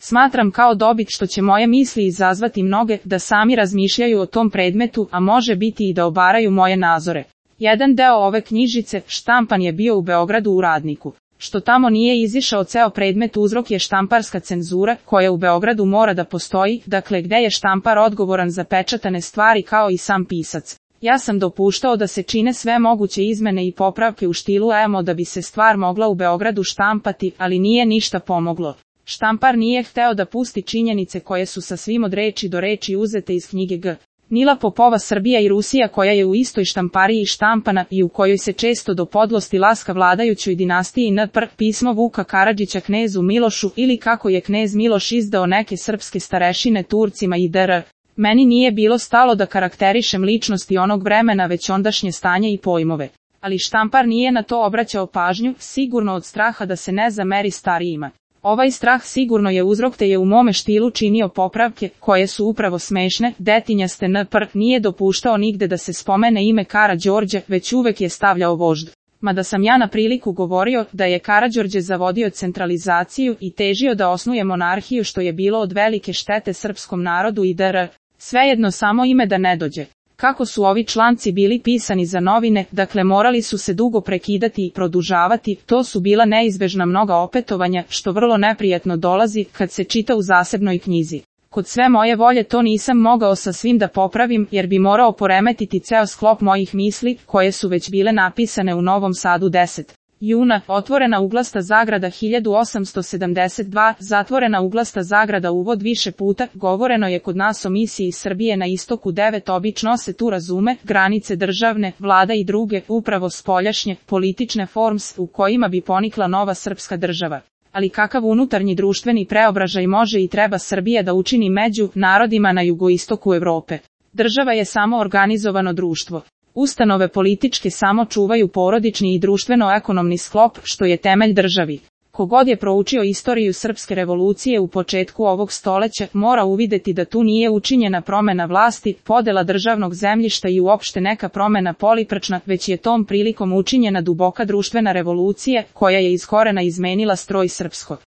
Smatram kao dobit što će moje misli izazvati mnoge da sami razmišljaju o tom predmetu, a može biti i da obaraju moje nazore. Jedan deo ove knjižice štampan je bio u Beogradu u Radniku. Što tamo nije izišao ceo predmet uzrok je štamparska cenzura, koja u Beogradu mora da postoji, dakle gde je štampar odgovoran za pečatane stvari kao i sam pisac. Ja sam dopuštao da se čine sve moguće izmene i popravke u štilu EMO da bi se stvar mogla u Beogradu štampati, ali nije ništa pomoglo. Štampar nije hteo da pusti činjenice koje su sasvim od reči do reči uzete iz knjige G. Nila Popova Srbija i Rusija koja je u istoj štampariji štampana i u kojoj se često do podlosti laska vladajućoj dinastiji NPR, pismo Vuka Karadžića knezu Milošu ili kako je knez Miloš izdao neke srpske starešine Turcima i dr. Meni nije bilo stalo da karakterišem ličnosti onog vremena već ondašnje stanje i pojmove. Ali štampar nije na to obraćao pažnju, sigurno od straha da se ne zameri starijima. Ovaj strah sigurno je uzrok te je u mome štilu činio popravke, koje su upravo smešne, detinjaste NPR nije dopuštao nigde da se spomene ime Karađorđe, već uvek je stavljao vožd. Mada sam ja na priliku govorio da je Karađorđe zavodio centralizaciju i težio da osnuje monarhiju što je bilo od velike štete srpskom narodu i dr. Svejedno samo ime da ne dođe. Kako su ovi članci bili pisani za novine, dakle morali su se dugo prekidati i produžavati, to su bila neizbežna mnoga opetovanja, što vrlo neprijatno dolazi kad se čita u zasebnoj knjizi. Kod sve moje volje to nisam mogao sa svim da popravim, jer bi morao poremetiti ceo sklop mojih misli, koje su već bile napisane u Novom Sadu 10. juna, otvorena uglasta zagrada 1872, zatvorena uglasta zagrada uvod više puta, govoreno je kod nas o misiji Srbije na istoku 9 obično se tu razume, granice državne, vlada i druge, upravo spoljašnje, politične forms u kojima bi ponikla nova srpska država. Ali kakav unutarnji društveni preobražaj može i treba Srbija da učini među narodima na jugoistoku Evrope? Država je samo organizovano društvo. Ustanove političke samo čuvaju porodični i društveno-ekonomni sklop, što je temelj državi. Kogod je proučio istoriju srpske revolucije u početku ovog stoleća, mora uvideti da tu nije učinjena promena vlasti, podela državnog zemljišta i uopšte neka promena poliprčna, već je tom prilikom učinjena duboka društvena revolucija, koja je iz korena izmenila stroj srpskog